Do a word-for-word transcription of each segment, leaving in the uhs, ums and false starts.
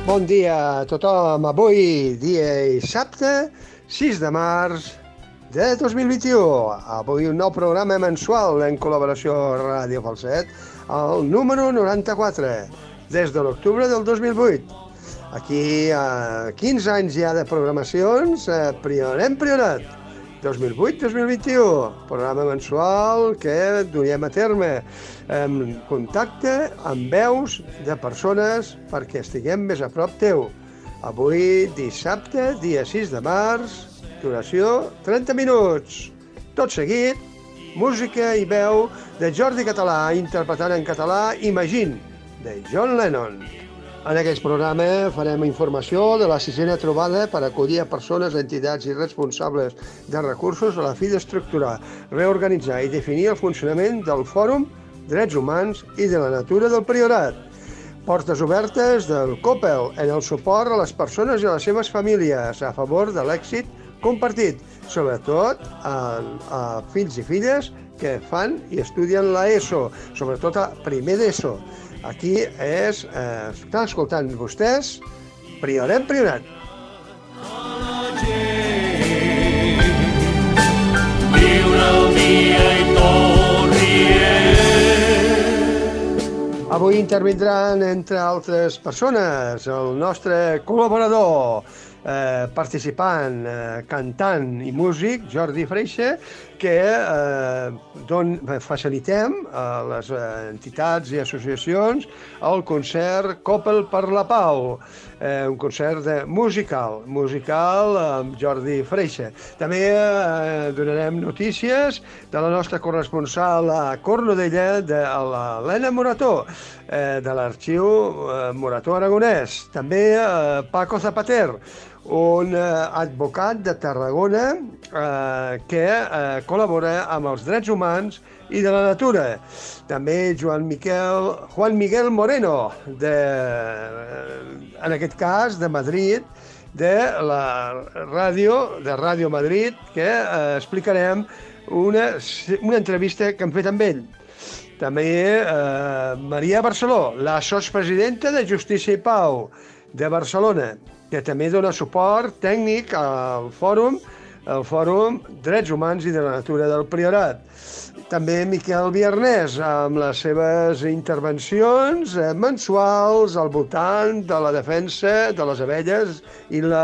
Bon dia a tothom. Avui, dia dissabte, sis de març de dos mil vint-i-u. Avui un nou programa mensual en col·laboració amb Ràdio Falset, el número noranta-quatre, des de l'octubre del dos mil vuit. Aquí, a quinze anys ja de programacions, eh, Priorat, Priorat, dos mil vuit dos mil vint-i-u, programa mensual que duiem a terme en contacte amb veus de persones perquè estiguem més a prop teu. Avui, dissabte, dia sis de març, duració trenta minuts. Tot seguit, música i veu de Jordi Català, interpretant en català Imagine, de John Lennon. En aquest programa farem informació de la sisena trobada per acollir a persones, entitats i responsables de recursos a la fi d'estructurar, reorganitzar i definir el funcionament del Fòrum Drets Humans i de la Natura del Priorat. Portes obertes del COPEL en el suport a les persones i a les seves famílies a favor de l'èxit compartit, sobretot a, a fills i filles que fan i estudien l'ESO, sobretot a primer d'ESO. Aquí és, eh, estan escoltant vostès, Priorat, Priorat. Viure el dia i tot rient. Avui intervindran, entre altres persones, el nostre col·laborador, eh, participant, eh, cantant i músic, Jordi Freixe, que eh, don, facilitem a les entitats i associacions el concert Coppel per la Pau, eh, un concert de musical, musical amb Jordi Freixe. També eh, donarem notícies de la nostra corresponsal a Cornudella, de l'Helena Morató, eh, de l'arxiu eh, Morató Aragonès. També eh, Paco Zapater, un eh, advocat de Tarragona eh, que eh, col·labora amb els drets humans i de la natura. També Joan Miquel, Juan Miguel Moreno, de, en aquest cas de Madrid, de la ràdio, de Ràdio Madrid, que eh, explicarem una, una entrevista que hem fet amb ell. També eh, Maria Barceló, la sotspresidenta de Justícia i Pau de Barcelona, que també dona suport tècnic al fòrum, el Fòrum Drets Humans i de la Natura del Priorat. També Miquel Viernès, amb les seves intervencions mensuals al voltant de la defensa de les abelles i la,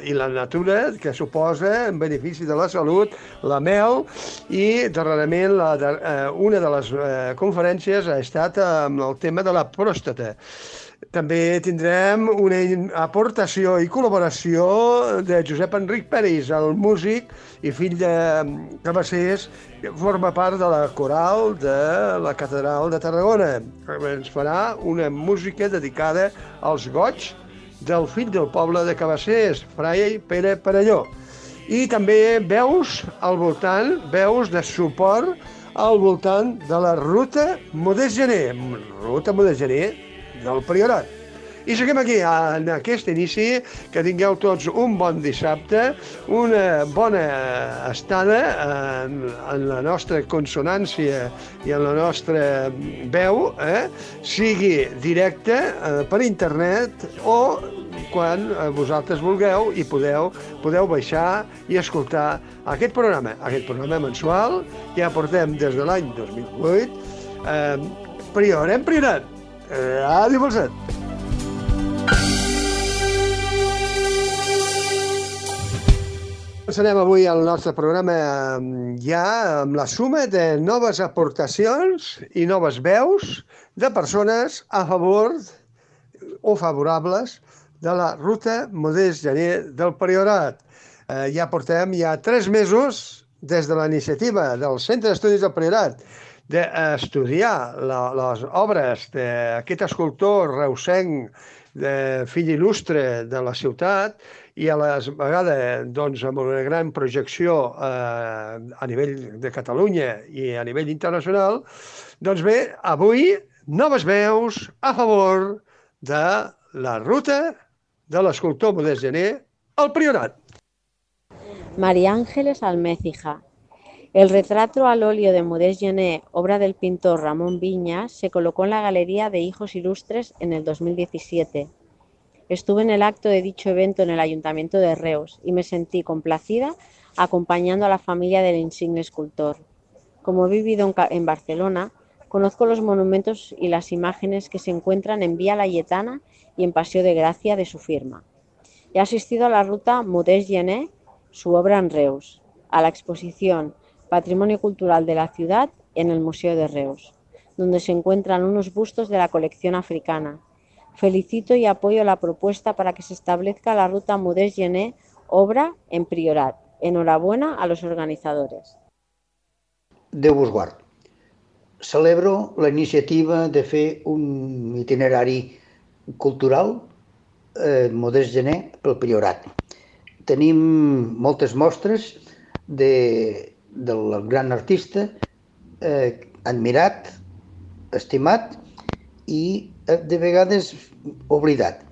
eh, i la natura que suposa en benefici de la salut, la mel, i darrerament la, eh, una de les eh, conferències ha estat amb el tema de la pròstata. També tindrem una aportació i col·laboració de Josep Enric Peris, el músic i fill de Cabassers, que forma part de la coral de la Catedral de Tarragona. Ens farà una música dedicada als goigs del fill del poble de Cabassers, Frai Pere Perelló. I també veus al voltant, veus de suport al voltant de la ruta Modest Gener, ruta Modest Gener del Priorat. I seguim aquí, en aquest inici, que tingueu tots un bon dissabte, una bona estada en, en la nostra consonància i en la nostra veu, eh? Sigui directe eh, per internet o quan vosaltres vulgueu i podeu, podeu baixar i escoltar aquest programa, aquest programa mensual que ja portem des de l'any dos mil vuit, eh, Priorat, Priorat. Ràdio Falset. Començarem avui el nostre programa ja amb la suma de noves aportacions i noves veus de persones a favor o favorables de la ruta Modest Gener del Priorat. Eh, ja portem ja tres mesos des de la iniciativa del Centre d'Estudis del Priorat d'estudiar la, les obres d'aquest escultor reusenc, de fill il·lustre de la ciutat, i a la vegada doncs, amb una gran projecció eh, a nivell de Catalunya i a nivell internacional, doncs bé, avui noves veus a favor de la ruta de l'escultor Modest Gener al Priorat. María Ángeles Almécija. El retrato al óleo de Modest Gener, obra del pintor Ramón Viñas, se colocó en la Galería de Hijos Ilustres en el dos mil diecisiete. Estuve en el acto de dicho evento en el Ayuntamiento de Reus y me sentí complacida acompañando a la familia del insigne escultor. Como he vivido en Barcelona, conozco los monumentos y las imágenes que se encuentran en Vía Laietana y en Paseo de Gracia de su firma. He asistido a la ruta Modest Gené, su obra en Reus, a la exposición Patrimonio Cultural de la Ciudad en el Museo de Reus, donde se encuentran unos bustos de la colección africana. Felicito y apoyo la propuesta para que se establezca la ruta Modest Gené, obra en Priorat. Enhorabuena a los organitzadores. Déu vos guard. Celebro la iniciativa de fer un itinerari cultural eh, Modest Gené pel Priorat. Tenim moltes mostres de, del gran artista eh, admirat, estimat i de vegades oblidat.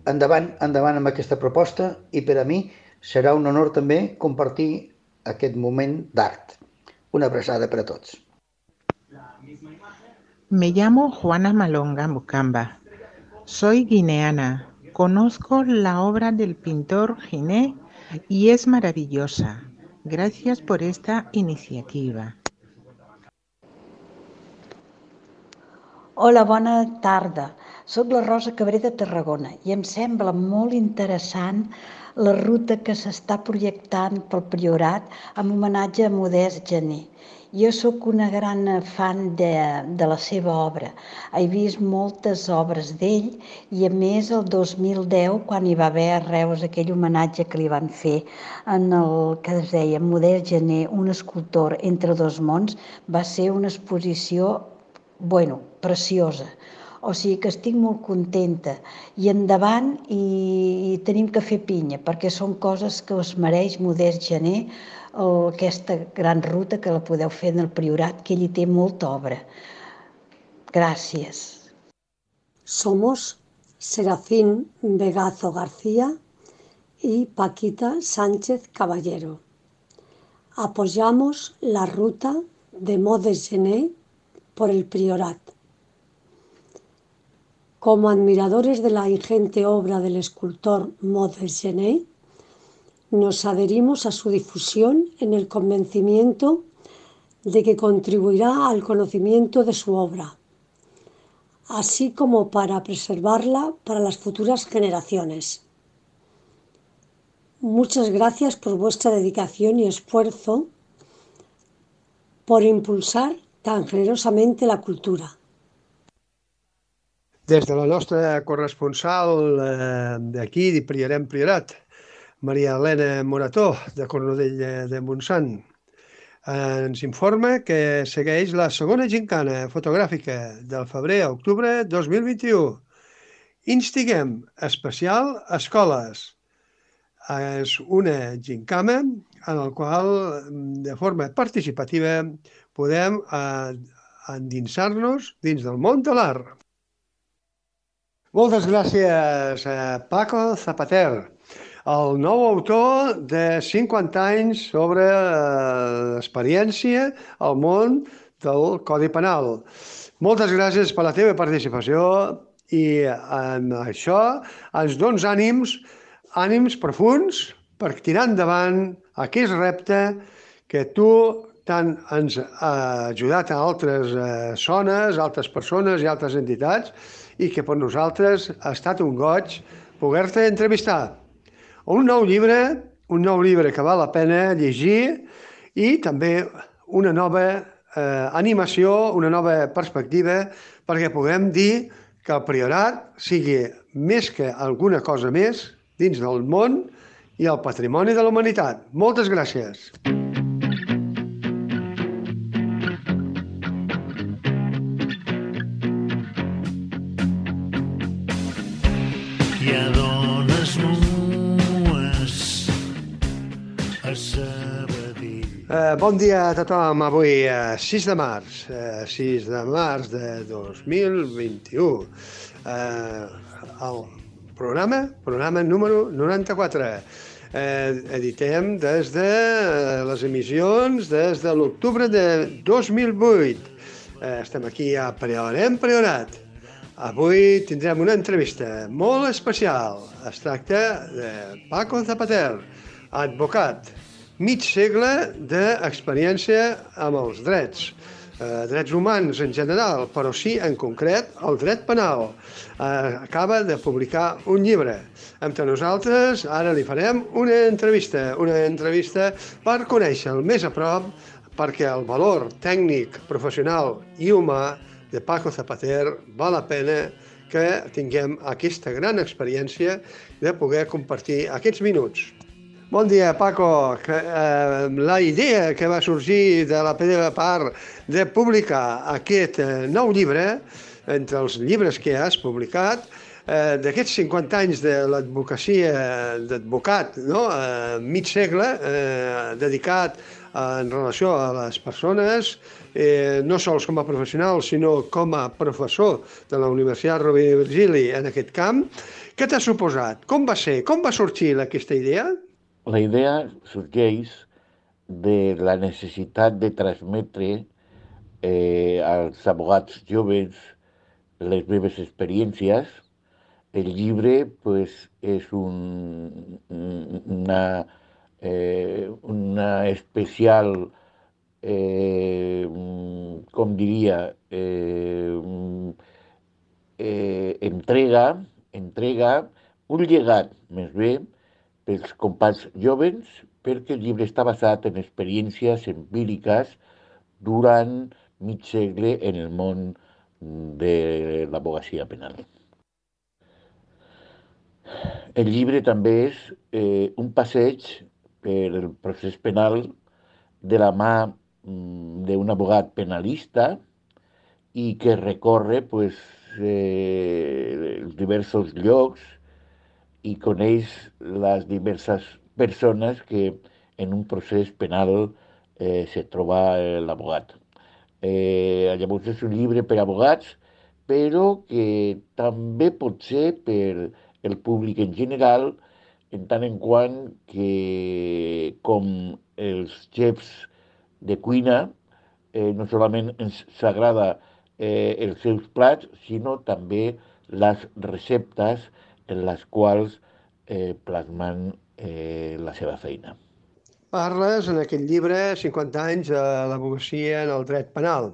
Endavant, endavant amb aquesta proposta i per a mi serà un honor també compartir aquest moment d'art. Una abraçada per a tots. Me llamo Juana Malonga Mucamba. Soy guineana. Conozco la obra del pintor Gené y es maravillosa. Gracias por esta iniciativa. Hola, bona tarda. Soc la Rosa Cabré de Tarragona i em sembla molt interessant la ruta que s'està projectant pel Priorat en homenatge a Modest Gené. Jo sóc una gran fan de, de la seva obra. He vist moltes obres d'ell i a més el dos mil deu, quan hi va haver a Reus aquell homenatge que li van fer en el que es deia Modest Gené, un escultor entre dos mons, va ser una exposició, bueno, preciosa. O sigui que estic molt contenta i endavant i, i tenim que fer pinya perquè són coses que us mereix Modest Gené, el, aquesta gran ruta que la podeu fer en el Priorat, que ell hi té molta obra. Gràcies. Somos Serafín Vegazo García y Paquita Sánchez Caballero. Apoyamos la ruta de Modest Gené por el Priorat. Como admiradores de la ingente obra del escultor Modest Gené, nos adherimos a su difusión en el convencimiento de que contribuirá al conocimiento de su obra, así como para preservarla para las futuras generaciones. Muchas gracias por vuestra dedicación y esfuerzo por impulsar tan generosamente la cultura. Des de la nostra corresponsal eh, d'aquí, de Priorem Priorat, Maria Elena Morató, de Cornudella de Montsant, eh, ens informa que segueix la segona gincana fotogràfica del febrer a octubre dos mil vint-i-u. Instiguem especial escoles. És una gincama en la qual, de forma participativa, podem eh, endinsar-nos dins del món de l'art. Moltes gràcies a Paco Zapater, el nou autor de cinquanta anys sobre l'experiència al món del Codi Penal. Moltes gràcies per la teva participació i amb això ens dones ànims, ànims profuns per tirar endavant aquest repte que tu tant ens ha ajudat a altres zones, altres persones i altres entitats, i que per nosaltres ha estat un goig poder-te entrevistar. Un nou llibre, un nou llibre que val la pena llegir i també una nova eh, animació, una nova perspectiva perquè puguem dir que el Priorat sigui més que alguna cosa més dins del món i el patrimoni de la humanitat. Moltes gràcies. Hi ha dones nues a Sabadell. Eh, bon dia a tothom. Avui, eh, sis de març, eh, sis de març de dos mil vint-i-u. Eh, el programa, programa número noranta-quatre. Eh, editem des de les emissions des de l'octubre de dos mil vuit. Eh, estem aquí a Priorem Priorat. Avui tindrem una entrevista molt especial. Es tracta de Paco Zapater, advocat, mig segle d'experiència amb els drets, eh, drets humans en general, però sí en concret el dret penal. Eh, acaba de publicar un llibre. Entre nosaltres ara li farem una entrevista, una entrevista per conèixer-lo més a prop, perquè el valor tècnic, professional i humà de Paco Zapater val la pena que tinguem aquesta gran experiència de poder compartir aquests minuts. Bon dia, Paco. Que, eh, la idea que va sorgir de la teva part de publicar aquest eh, nou llibre, entre els llibres que has publicat, eh, d'aquests cinquanta anys de l'advocacia d'advocat, no? eh, mig segle, eh, dedicat en relació a les persones, eh, no sols com a professional, sinó com a professor de la Universitat Rovira i Virgili en aquest camp. Què t'ha suposat? Com va ser? Com va sorgir aquesta idea? La idea sorgeix de la necessitat de transmetre eh, als advocats joves les meves experiències. El llibre pues, és un, una, eh, una especial, eh, com diria, eh, eh, entrega, entrega, un llegat, més bé, pels companys joves, perquè el llibre està basat en experiències empíriques durant mig segle en el món de l'advocacia penal. El llibre també és eh, un passeig per el procés penal de la mà d'un advocat penalista i que recorre pues, eh, els diversos llocs i coneix les diverses persones que en un procés penal eh, se troba l'advocat. Eh, llavors és un llibre per a advocats, però que també pot ser per el públic en general, en tant en quant que, com els xefs de cuina, eh, no solament ens s'agrada eh, els seus plats, sinó també les receptes en les quals eh, plasmen eh, la seva feina. Parles en aquest llibre cinquanta anys de l'advocacia en el dret penal.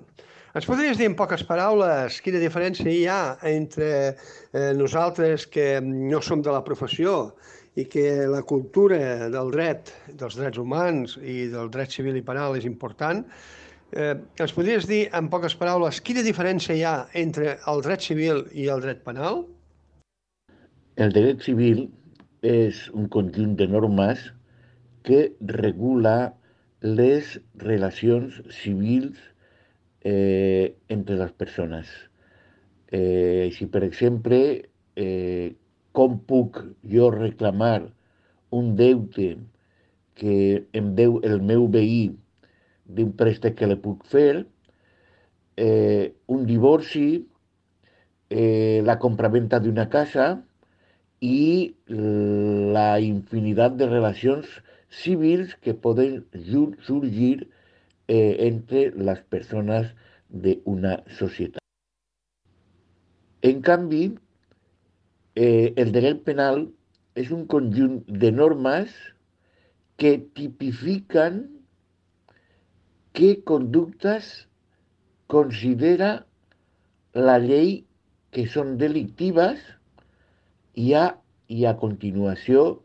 Ens podries dir en poques paraules quina diferència hi ha entre eh, nosaltres que no som de la professió i que la cultura del dret, dels drets humans i del dret civil i penal és important? Eh, ens podries dir en poques paraules quina diferència hi ha entre el dret civil i el dret penal? El dret civil és un conjunt de normes que regula les relacions civils eh, entre les persones. Eh, així, per exemple, eh, com puc jo reclamar un deute que em deu el meu veí d'un préstec que li puc fer, eh, un divorci, eh, la compraventa d'una casa i la infinitat de relacions civils que poden sorgir eh, entre les persones d'una societat. En canvi, eh, el dret penal és un conjunt de normes que tipifiquen què conductes considera la llei que són delictives i a, i a continuació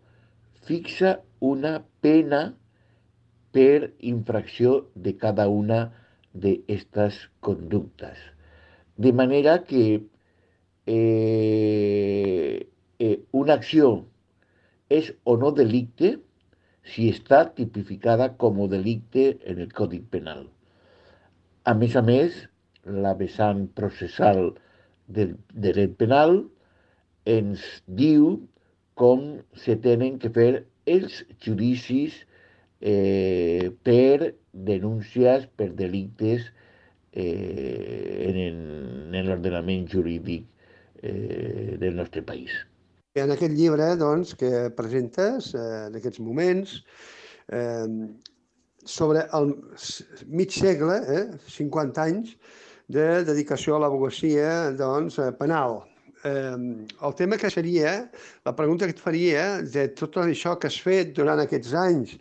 fixa una pena per infracció de cada una d'aquestes conductes. De manera que eh, eh, una acció és o no delicte si està tipificada com a delicte en el Codi Penal. A més a més, la vessant processal del dret penal ens diu com se tenen que fer els judicis eh, per denúncies, per delictes eh, en, en l'ordenament jurídic eh, del nostre país. En aquest llibre doncs, que presentes eh, en aquests moments, eh, sobre el mig segle, eh, cinquanta anys, de dedicació a l'advocacia doncs, penal. Eh, el tema que seria, la pregunta que et faria, de tot això que has fet durant aquests anys,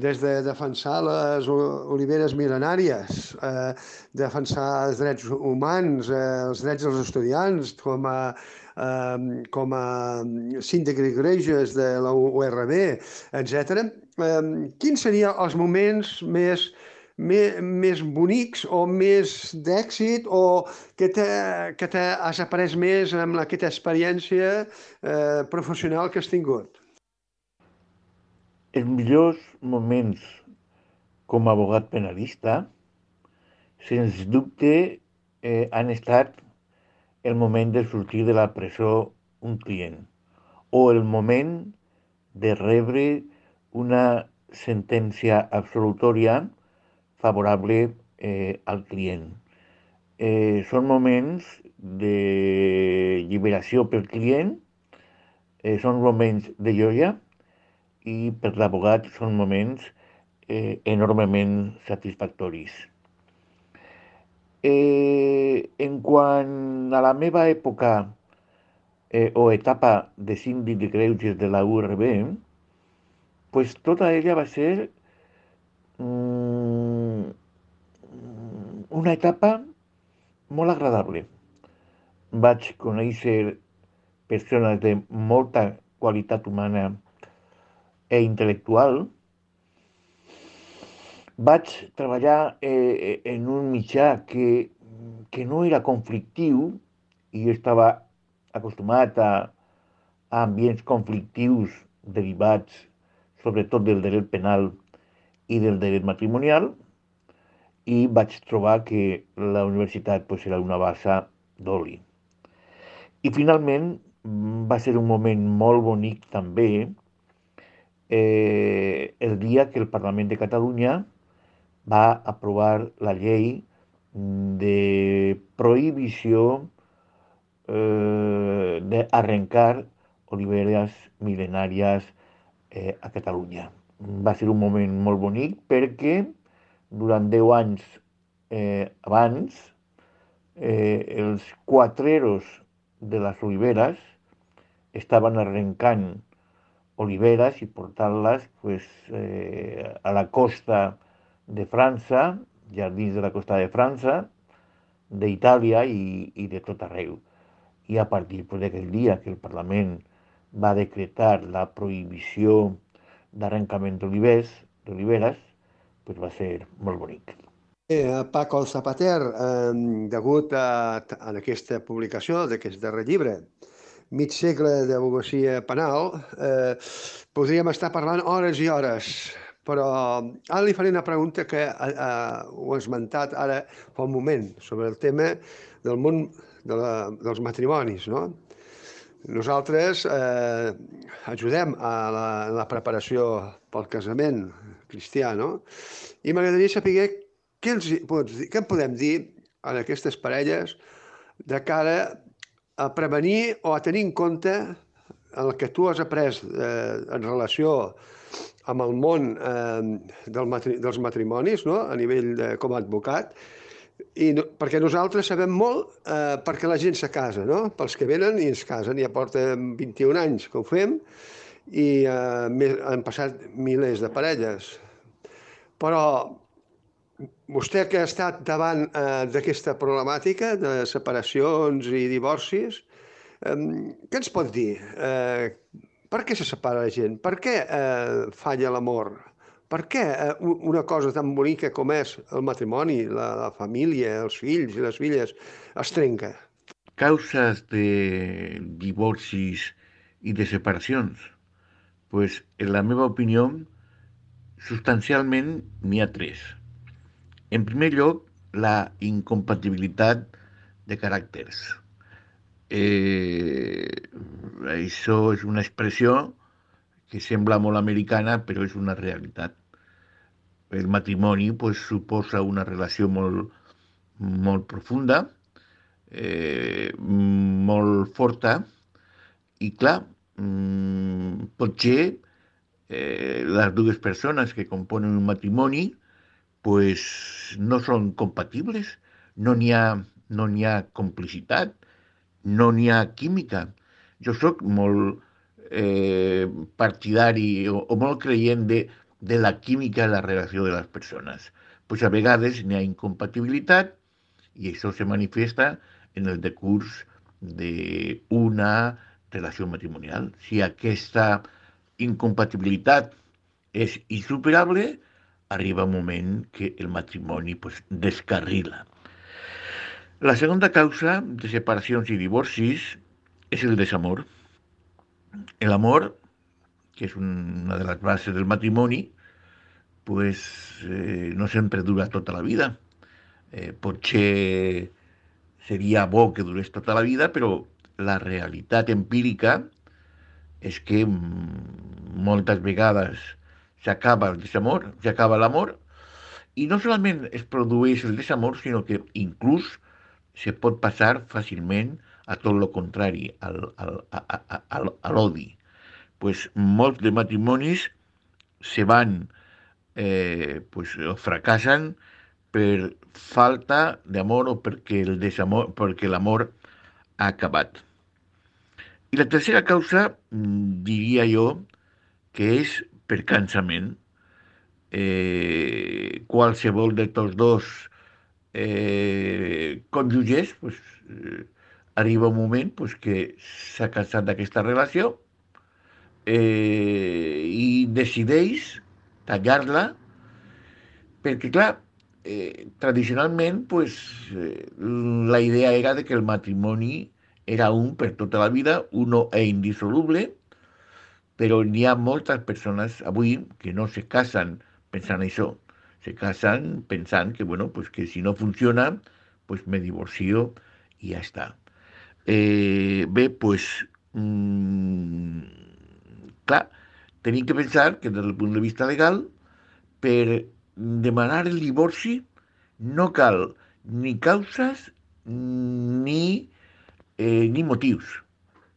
des de defensar les oliveres mil·lenàries, eh, defensar els drets humans, eh, els drets dels estudiants, com a, eh, com a síndic de greuges de la U R B, etcètera. Eh, quins serien els moments més més, més bonics o més d'èxit o que, te, que te has après més amb aquesta experiència eh, professional que has tingut? Els millors moments com a abogat penalista, sens dubte, eh, han estat el moment de sortir de la presó un client o el moment de rebre una sentència absolutòria favorable eh, al client. Eh, són moments de lliberació pel client, eh, són moments de joia i per l'abogat són moments eh, enormement satisfactoris. Eh, en quant a la meva època eh, o etapa de síndic de greuges de la U R B, pues tota ella va ser mm, una etapa molt agradable. Vaig conèixer persones de molta qualitat humana e intel·lectual. Vaig treballar eh, en un mitjà que, que no era conflictiu i jo estava acostumat a, a ambients conflictius derivats sobretot del dret penal i del dret matrimonial, i vaig trobar que la universitat pues, era una bassa d'oli. I finalment va ser un moment molt bonic també eh, el dia que el Parlament de Catalunya va aprovar la llei de prohibició eh, d'arrencar oliveres mil·lenàries eh, a Catalunya. Va ser un moment molt bonic perquè durant deu anys eh, abans eh, els quatreros de les oliveres estaven arrencant oliveres i portant-les pues, eh, a la costa de França, jardins de la costa de França, d'Itàlia i, i de tot arreu. I a partir pues, d'aquell dia que el Parlament va decretar la prohibició d'arrencament d'olivers, d'oliveres, pues va ser molt bonic. Eh, Paco Zapater, eh, degut a, a aquesta publicació d'aquest darrer llibre, Mig segle d'advocacia penal, eh, podríem estar parlant hores i hores, però ara li faré una pregunta que eh, ho he esmentat ara fa un moment, sobre el tema del món de la, dels matrimonis, no? Nosaltres eh, ajudem a la, a la preparació pel casament cristià, no? I m'agradaria saber què, els, què en podem dir a aquestes parelles de cara a prevenir o a tenir en compte el que tu has après eh, en relació amb el món eh, del matri, dels matrimonis, no? A nivell de, com a advocat, i no, perquè nosaltres sabem molt eh, perquè la gent se casa, no? Pels que venen i es casen, ja porten vint-i-un anys que ho fem i eh, han passat milers de parelles. Però vostè que ha estat davant eh, d'aquesta problemàtica de separacions i divorcis, eh, què ens pot dir? Eh, per què se separa la gent? Per què eh, falla l'amor? Per què eh, una cosa tan bonica com és el matrimoni, la, la família, els fills i les filles, es trenca? Causes de divorcis i de separacions? Pues, en la meva opinió, substancialment n'hi ha tres. En primer lloc, la incompatibilitat de caràcters. Eh, això és una expressió que sembla molt americana, però és una realitat. El matrimoni pues, suposa una relació molt, molt profunda, eh, molt forta, i clar, potser eh, les dues persones que componen un matrimoni pues no són compatibles no n'hi ha, no n'hi ha complicitat, no n'hi ha química. Jo sóc molt eh, partidari o, o molt creient de, de la química de la relació de les persones. Pues a vegades n'hi ha incompatibilitat i això se manifesta en el decurs d'una relació matrimonial. Si aquesta incompatibilitat és insuperable, arriba un moment que el matrimoni pues, descarrila. La segunda causa de separacions i divorcis és el desamor. El amor, que és una de les bases del matrimoni, pues, eh, no sempre dura tota la vida. Eh, potser seria bo que durés tota la vida, però la realitat empírica és que moltes vegades s'acaba el desamor, s'acaba l'amor, i no solament es produeix el desamor, sinó que inclús se pot passar fàcilment a tot el contrari, al, al, a, a, a, a l'odi. Pues molts de matrimonis se van, eh, pues, o fracassen per falta d'amor o perquè el desamor, perquè l'amor ha acabat. I la tercera causa, diria jo, que és per cansament. Eh, qualsevol de tots dos eh, cònjuges pues, eh, arriba un moment pues, que s'ha cansat d'aquesta relació eh, i decideix tallar-la perquè, clar, eh, tradicionalment pues, eh, la idea era de que el matrimoni era un per tota la vida, uno e indissoluble, però n'hi ha moltes persones avui que no se casen pensant això, se casen pensant que, bueno, pues que si no funciona, pues me divorcio i ja està. Eh, bé, pues, mmm, clar, tenim que pensar que des del punt de vista legal, per demanar el divorci no cal ni causes ni, eh, ni motius.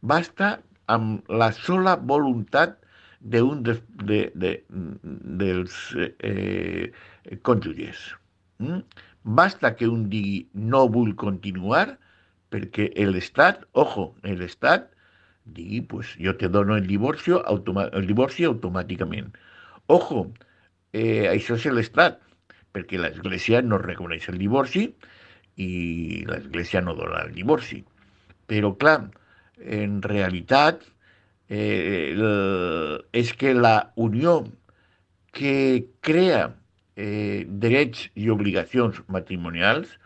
Basta amb la sola voluntat d'un de, de, de, dels eh, cònjuges. Mm? Basta que un digui no vull continuar perquè l'Estat, ojo, l'Estat digui pues jo te dono el divorci, el divorci automàticament. Ojo, eh, això és l'Estat, perquè l'Església no reconeix el divorci i l'Església no dona el divorci. Però clar, en realitat eh, el, és que la unió que crea eh, drets i obligacions matrimonials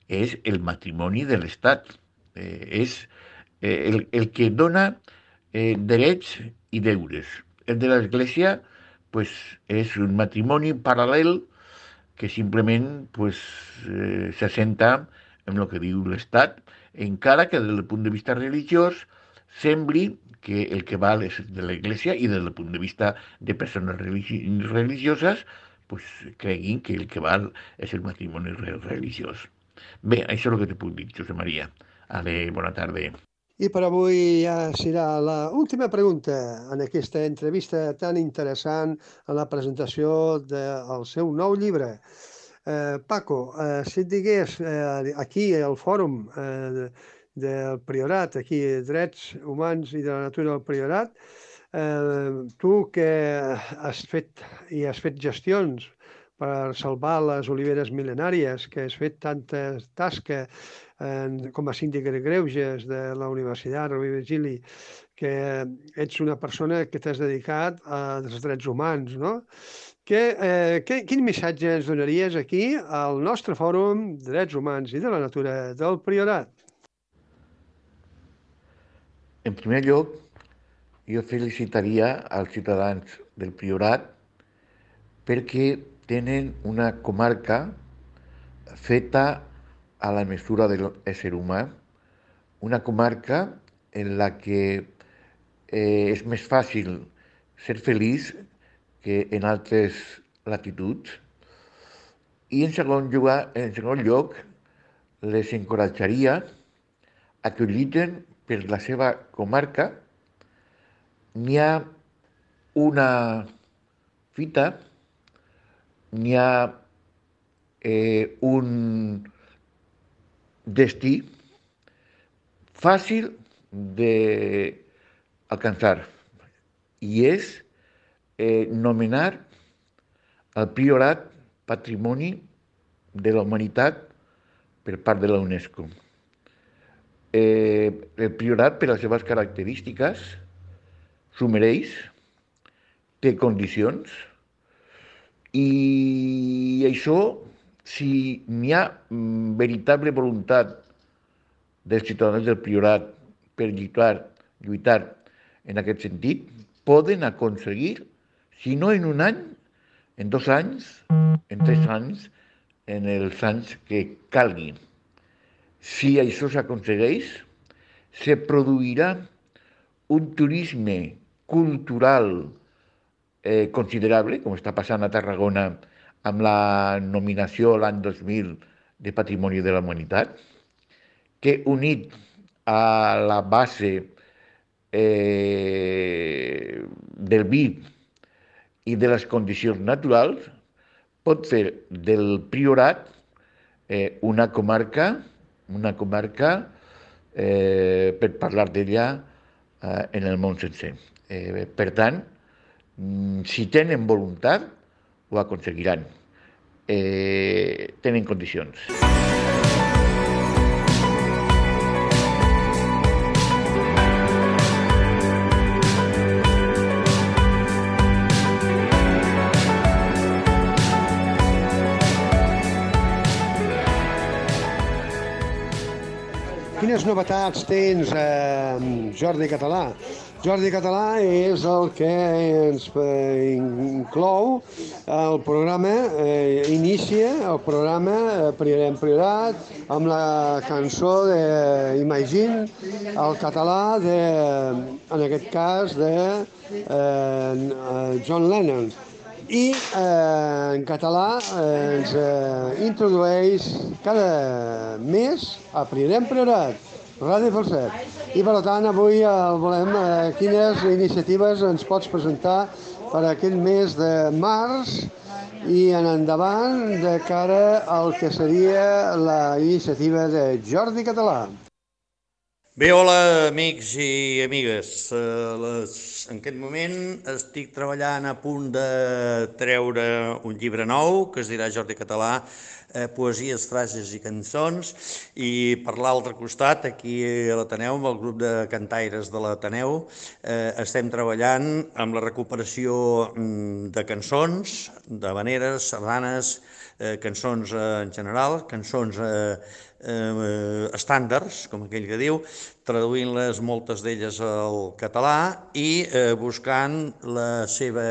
és el matrimoni de l'Estat. Eh, és eh, el, el que dona eh, drets i deures. El de l'Església pues, és un matrimoni paral·lel que simplement pues, eh, s'assenta en el que diu l'Estat, encara que des del punt de vista religiós sembli que el que val és de l'Església i des del punt de vista de persones religi religioses pues, creguin que el que val és el matrimoni religiós. Bé, això és el que te puc dir, Josep Maria. Ale, bona tarda. I per avui ja serà l'última pregunta en aquesta entrevista tan interessant en la presentació del seu nou llibre. Eh, Paco, eh, si et digués eh, aquí al fòrum eh, del Priorat, aquí Drets Humans i de la Natura del Priorat, eh, tu que has fet i has fet gestions per salvar les oliveres mil·lenàries, que has fet tantes tasques eh, com a síndic de greuges de la Universitat Rovira i Virgili, que ets una persona que t'has dedicat als drets humans, no? Que, eh, que, quin missatge ens donaries aquí al nostre fòrum de drets humans i de la natura del Priorat? En primer lloc, jo felicitaria als ciutadans del Priorat perquè tenen una comarca feta a la mesura de l'ésser humà, una comarca en la que eh, és més fàcil ser feliç que en altres latituds. I en segon lloc, en segon lloc les encoratjaria a que lluiten per la seva comarca. N'hi ha una fita, n'hi ha eh, un destí fàcil d'alcançar i és eh, nomenar el priorat Patrimoni de la Humanitat per part de la UNESCO. Eh, el priorat, per les seves característiques, s'ho mereix, té condicions, i això, si n'hi ha veritable voluntat dels ciutadans del priorat per lluitar, lluitar en aquest sentit, poden aconseguir, si no en un any, en dos anys, en tres anys, en els anys que calgui. Si això s'aconsegueix, se produirà un turisme cultural eh, considerable, com està passant a Tarragona amb la nominació l'any dos mil de Patrimoni de la Humanitat, que unit a la base eh, del vi i de les condicions naturals, pot fer del Priorat eh, una comarca, una comarca eh, per parlar d'ella eh, en el món sencer. Eh, per tant, si tenen voluntat, ho aconseguiran. Eh, tenen condicions. Quines novetats tens, eh, Jordi Català? Jordi Català és el que ens eh, inclou el programa, eh, inicia el programa Priorat en Priorat amb la cançó d'Imagine, el català, de, en aquest cas, de eh, John Lennon. I eh, en català eh, ens eh, introdueix cada mes a Priorat en Priorat, Ràdio Falset. I per tant avui el volem, eh, quines iniciatives ens pots presentar per aquest mes de març i en endavant de cara al que seria la iniciativa de Jordi Català. Bé, hola amics i amigues. En aquest moment estic treballant a punt de treure un llibre nou que es dirà Jordi Català, poesies, frases i cançons, i per l'altre costat, aquí a l'Ateneu, amb el grup de cantaires de l'Ateneu, estem treballant amb la recuperació de cançons, d'havaneres, sardanes, cançons en general, cançons estàndards, com aquell que diu, traduint-les moltes d'elles al català i buscant la seva,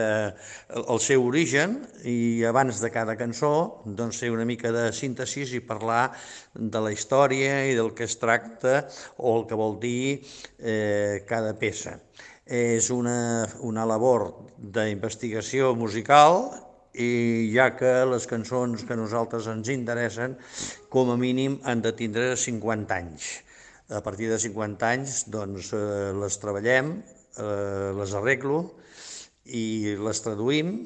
el seu origen, i abans de cada cançó doncs fer una mica de síntesi i parlar de la història i del que es tracta o el que vol dir eh, cada peça. És una, una labor d'investigació musical, i ja que les cançons que a nosaltres ens interessen, com a mínim han de tindre cinquanta anys. A partir de cinquanta anys doncs, eh, les treballem, eh, les arreglo i les traduïm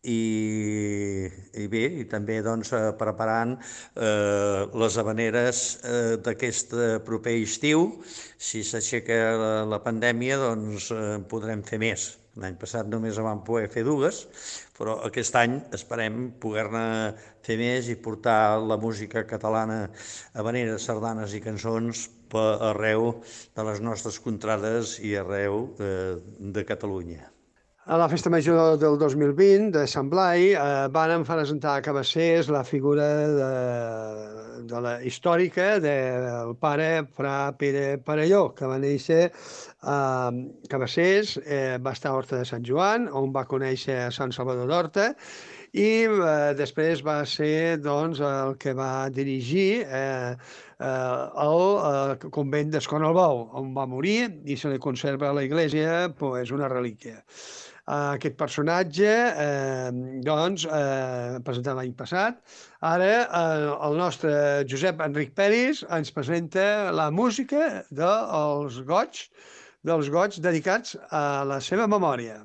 i, i bé, i també doncs, preparant eh, les havaneres eh, d'aquest proper estiu. Si s'aixeca la, la pandèmia, doncs eh, podrem fer més. L'any passat només vam poder fer dues, però aquest any esperem poder-ne fer més i portar la música catalana, havaneres, sardanes i cançons per arreu de les nostres contrades i arreu eh, de Catalunya. A la Festa Major del dos mil vint de Sant Blai eh, van presentar a Cabassers la figura de, de la històrica del pare Fra Pere Parelló, que va néixer a Cabassers, eh, va estar a Horta de Sant Joan, on va conèixer a Sant Salvador d'Horta, i eh, després va ser doncs, el que va dirigir eh, eh, el eh, convent d'Escornalbou, on va morir i se li conserva a la iglesia pues, una relíquia. Aquest personatge, eh, doncs, eh, presentat l'any passat. Ara eh, el nostre Josep Enric Peris ens presenta la música dels goigs, dels goigs dedicats a la seva memòria.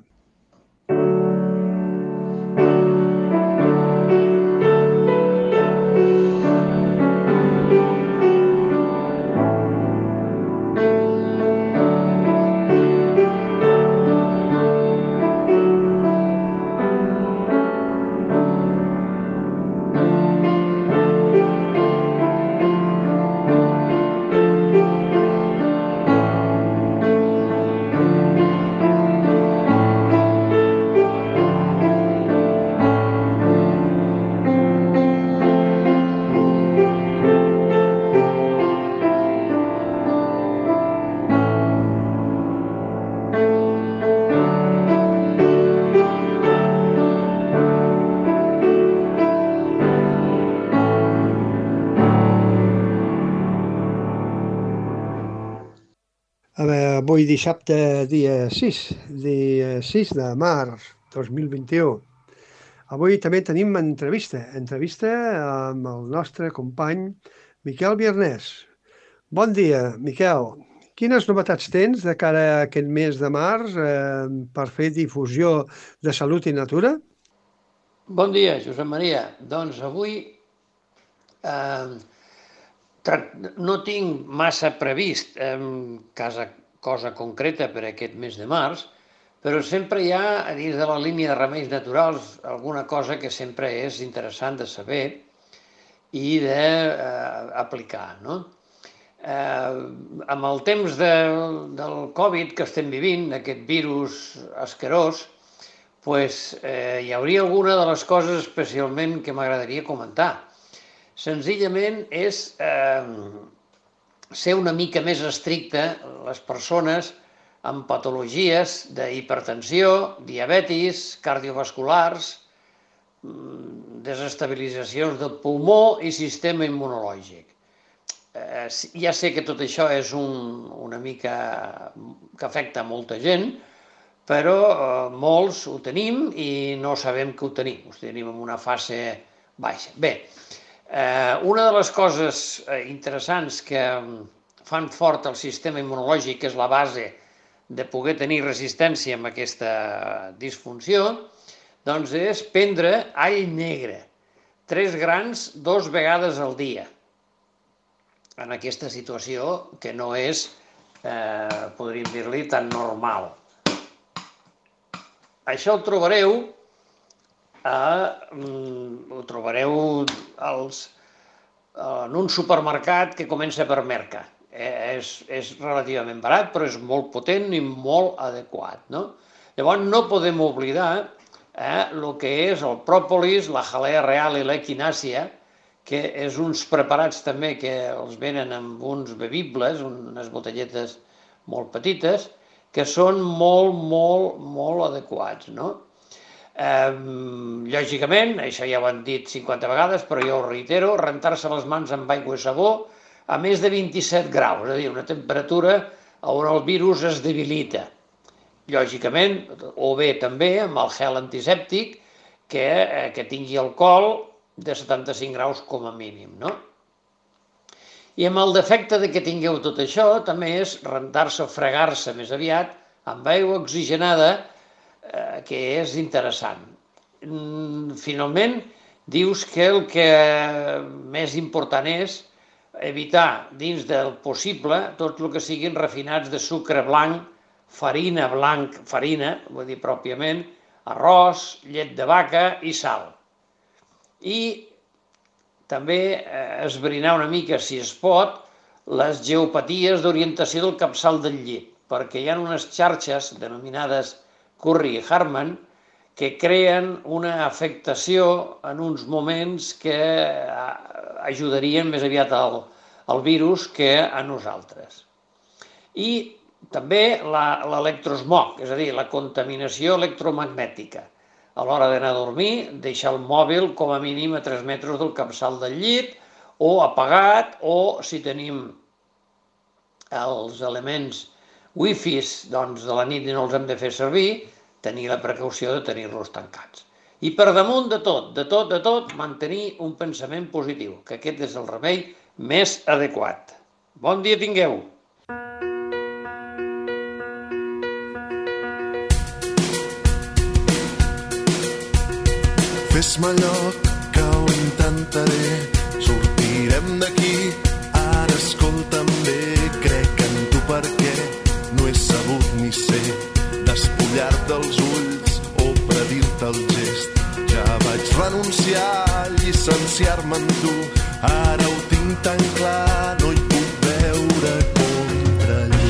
A veure, avui dissabte, dia sis, dia sis de març dos mil vint-i-u. Avui també tenim entrevista, entrevista amb el nostre company Miquel Biernès. Bon dia, Miquel. Quines novetats tens de cara a aquest mes de març eh, per fer difusió de salut i natura? Bon dia, Josep Maria. Doncs avui eh, no tinc massa previst eh, casa, cosa concreta per aquest mes de març, però sempre hi ha, a dins de la línia de remeis naturals, alguna cosa que sempre és interessant de saber i d'aplicar, eh, no? Eh, amb el temps de, del Covid que estem vivint, aquest virus asquerós, pues, eh, hi hauria alguna de les coses especialment que m'agradaria comentar. Senzillament és eh, ser una mica més estricte les persones amb patologies d'hipertensió, diabetis, cardiovasculars, desestabilitzacions del pulmó i sistema immunològic. Eh, ja sé que tot això és un, una mica que afecta a molta gent, però eh, molts ho tenim i no sabem que ho tenim, ho tenim en una fase baixa. Bé, eh, una de les coses interessants que fan fort el sistema immunològic, que és la base de poder tenir resistència amb aquesta disfunció, doncs és prendre all negre, tres grans dos vegades al dia, en aquesta situació que no és, eh, podríem dir-li, tan normal. Això ho trobareu, eh, ho trobareu als, en un supermercat que comença per Merca. Eh, és, és relativament barat, però és molt potent i molt adequat, no? Llavors no podem oblidar eh, el que és el pròpolis, la jalea real i l'equinàcia, que és uns preparats també que els venen amb uns bevibles, unes botelletes molt petites, que són molt, molt, molt adequats, no? Eh, lògicament, això ja ho han dit cinquanta vegades, però jo ho reitero, rentar-se les mans amb aigua i sabó a més de vint-i-set graus, és a dir, una temperatura on el virus es debilita. Lògicament, o bé també amb el gel antisèptic, que, eh, que tingui alcohol de setanta-cinc graus com a mínim, no? I amb el defecte de que tingueu tot això, també és rentar-se o fregar-se més aviat amb aigua oxigenada, eh, que és interessant. Finalment, dius que el que més important és evitar dins del possible tot el que siguin refinats de sucre blanc, farina blanc, farina, vull dir pròpiament, arròs, llet de vaca i sal. I també esbrinar una mica, si es pot, les geopaties d'orientació del capçal del llit, perquè hi ha unes xarxes denominades Curry i Harman que creen una afectació en uns moments que ajudarien més aviat al, al virus que a nosaltres. I també l'electrosmog, és a dir, la contaminació electromagnètica. A l'hora d'anar a dormir, deixar el mòbil com a mínim a tres metres del capçal del llit, o apagat, o si tenim els elements wifis doncs, de la nit i no els hem de fer servir, tenir la precaució de tenir-los tancats. I per damunt de tot, de tot, de tot, mantenir un pensament positiu, que aquest és el remei més adequat. Bon dia tingueu! Fes-me lloc que ho intentaré, sortirem d'aquí, ara escolta'm bé, crec en tu perquè no he sabut ni sé despullar-te els ulls o predir-te el gest. Ja vaig renunciar a llicenciar-me en tu, ara ho tinc tan clar, no hi puc veure contrallum.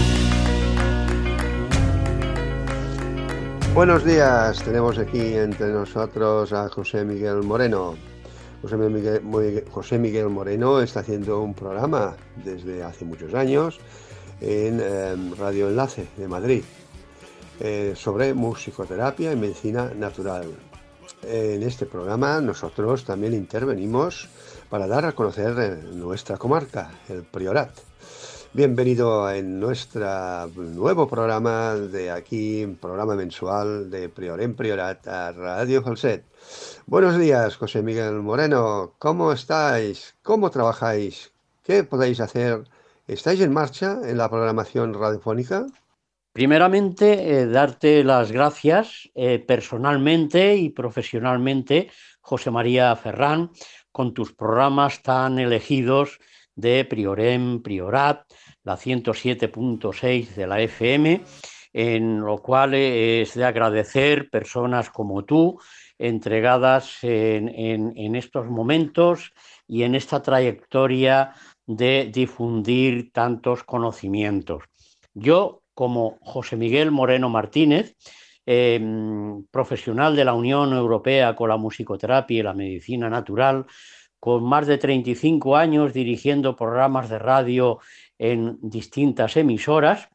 Buenos días, tenemos aquí entre nosotros a José Miguel Moreno. José Miguel, José Miguel Moreno está haciendo un programa desde hace muchos años en eh, Radio Enlace de Madrid eh, sobre musicoterapia y medicina natural. En este programa nosotros también intervenimos para dar a conocer nuestra comarca, el Priorat. Bienvenido en nuestro nuevo programa de aquí, programa mensual de Prior en Priorat a Radio Falset. Buenos días, José Miguel Moreno. ¿Cómo estáis? ¿Cómo trabajáis? ¿Qué podéis hacer? ¿Estáis en marcha en la programación radiofónica? Primeramente, eh, darte las gracias eh, personalmente y profesionalmente, José María Ferrán, con tus programas tan elegidos de Priorem Priorat, la ciento siete punto seis de la F M, en lo cual eh, es de agradecer personas como tú, entregadas en, en, en estos momentos y en esta trayectoria de difundir tantos conocimientos. Yo, como José Miguel Moreno Martínez, eh, profesional de la Unión Europea con la musicoterapia y la medicina natural, con más de treinta y cinco años dirigiendo programas de radio en distintas emisoras,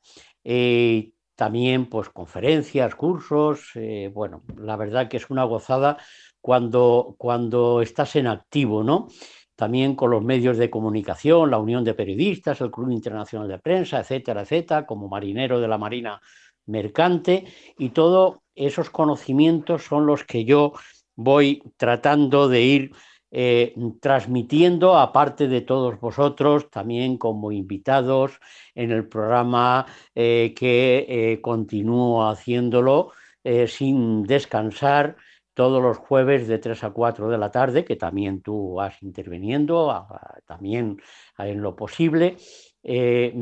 eh, también pues conferencias, cursos, eh, bueno, la verdad que es una gozada cuando, cuando estás en activo, ¿no? También con los medios de comunicación, la Unión de Periodistas, el Club Internacional de Prensa, etcétera, etcétera, como marinero de la Marina Mercante, y todos esos conocimientos son los que yo voy tratando de ir eh, transmitiendo, aparte de todos vosotros, también como invitados en el programa eh, que eh, continúo haciéndolo eh, sin descansar, todos los jueves de tres a cuatro de la tarde, que también tú vas interviniendo, a, a, también en lo posible. Eh,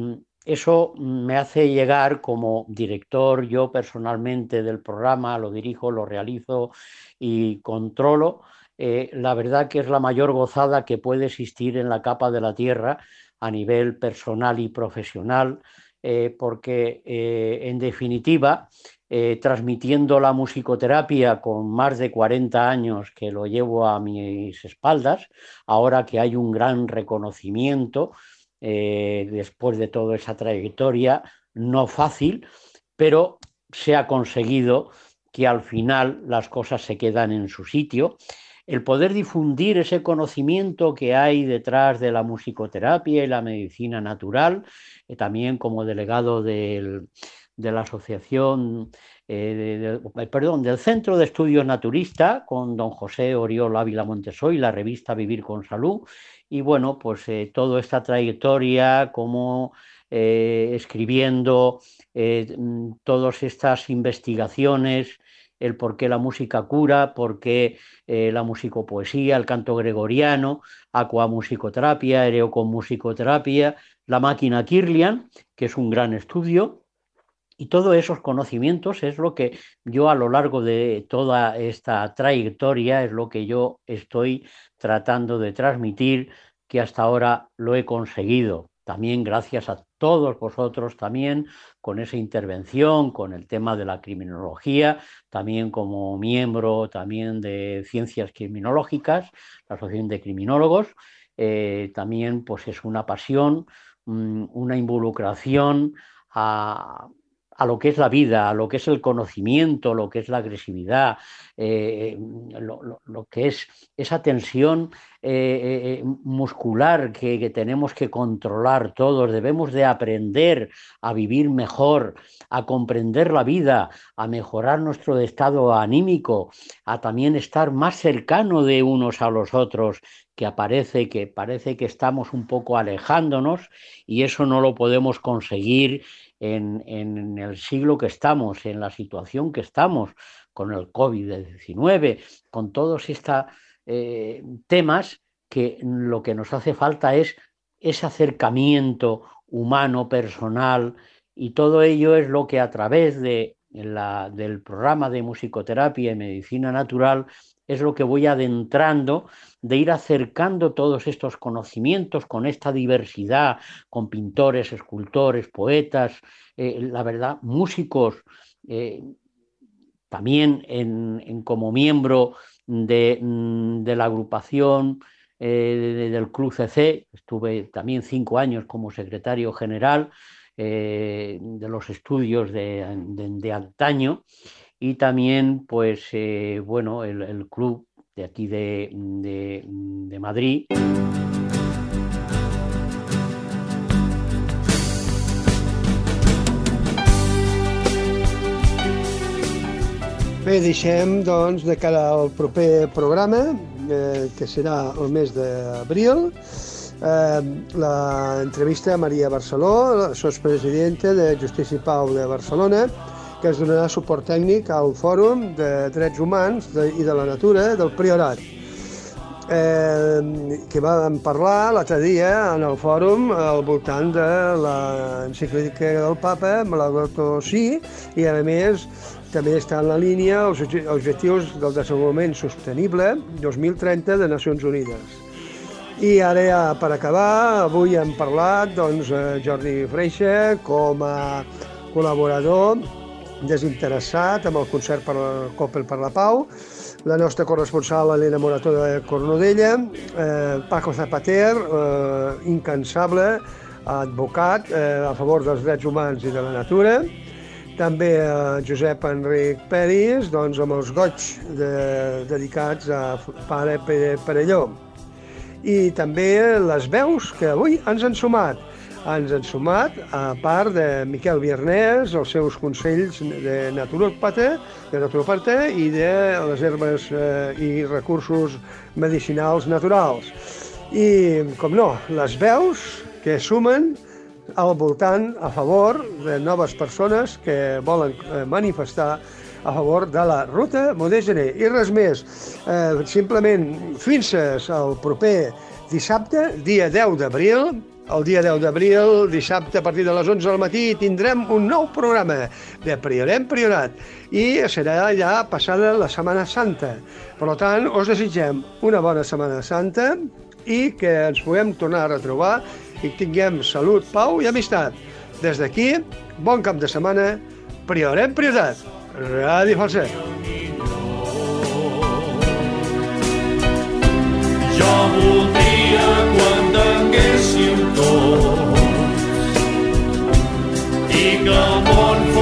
eso me hace llegar como director, yo personalmente del programa, lo dirijo, lo realizo y controlo. Eh, la verdad que es la mayor gozada que puede existir en la capa de la tierra a nivel personal y profesional, eh, porque eh, en definitiva, Eh, transmitiendo la musicoterapia con más de cuarenta años que lo llevo a mis espaldas, ahora que hay un gran reconocimiento eh, después de toda esa trayectoria, no fácil, pero se ha conseguido que al final las cosas se quedan en su sitio. El poder difundir ese conocimiento que hay detrás de la musicoterapia y la medicina natural, eh, también como delegado del de la asociación, eh, de, de, perdón, del Centro de Estudios Naturista, con don José Oriol Ávila Montesoy, la revista Vivir con Salud, y bueno, pues eh, toda esta trayectoria, como eh, escribiendo eh, todas estas investigaciones, el por qué la música cura, por qué eh, la musicopoesía, el canto gregoriano, aquamusicoterapia, aereoconmusicoterapia, la máquina Kirlian, que es un gran estudio. Y todos esos conocimientos es lo que yo a lo largo de toda esta trayectoria es lo que yo estoy tratando de transmitir, que hasta ahora lo he conseguido. También gracias a todos vosotros también con esa intervención, con el tema de la criminología, también como miembro también de Ciencias Criminológicas, la Asociación de Criminólogos, eh, también pues es una pasión, una involucración a a lo que es la vida, a lo que es el conocimiento, lo que es la agresividad, eh, lo, lo, lo que es esa tensión eh, eh, muscular que, que tenemos que controlar todos. Debemos de aprender a vivir mejor, a comprender la vida, a mejorar nuestro estado anímico, a también estar más cercano de unos a los otros, que aparece que parece que estamos un poco alejándonos, y eso no lo podemos conseguir En, en el siglo que estamos, en la situación que estamos, con el COVID diecinueve, con todos estos eh, temas, que lo que nos hace falta es ese acercamiento humano, personal, y todo ello es lo que a través de la, del programa de musicoterapia y medicina natural es lo que voy adentrando, de ir acercando todos estos conocimientos con esta diversidad, con pintores, escultores, poetas, eh, la verdad, músicos, eh, también en, en como miembro de, de la agrupación eh, del Club C C, estuve también cinco años como secretario general eh, de los estudios de, de, de antaño, y también, pues, eh, bueno, el, el club de aquí de, de, de Madrid. Bé, deixem, doncs, de cara al proper programa, eh, que serà el mes d'abril, eh, l'entrevista a Maria Barceló, la sotspresidenta de Justícia i Pau de Barcelona, que es donarà suport tècnic al Fòrum de Drets Humans de, i de la Natura del Priorat, eh, que vam parlar l'altre dia en el fòrum al voltant de l'encíclica del Papa, Laudato Si, i a més també està en la línia els objectius del desenvolupament sostenible dos mil trenta de Nacions Unides. I ara, ja, per acabar, avui hem parlat, doncs, Jordi Freixa com a col·laborador desinteressat amb el concert per la Coppel per la Pau, la nostra corresponsal Elena Morató de Cornudella, eh, Paco Zapater, eh, incansable, advocat eh, a favor dels drets humans i de la natura, també eh, Josep Enric Peris, doncs, amb els goig de, dedicats a Pare Perelló. I també les veus que avui ens han sumat. Ens han sumat, a part de Miquel Viernès, els seus consells de naturopata, de naturopata i de les herbes eh, i recursos medicinals naturals. I, com no, les veus que sumen al voltant a favor de noves persones que volen manifestar a favor de la ruta Modè-Gener. I res més, eh, simplement fins al proper dissabte, dia deu d'abril. El dia deu d'abril, dissabte, a partir de les onze del matí, tindrem un nou programa de Priorem Priorat i serà ja passada la Setmana Santa. Per tant, us desitgem una bona Setmana Santa i que ens puguem tornar a retrobar i tinguem salut, pau i amistat. Des d'aquí, bon cap de setmana, Priorem Priorat, Ràdio Falset. Jo voldria quan tinguéssim tots i que el món fos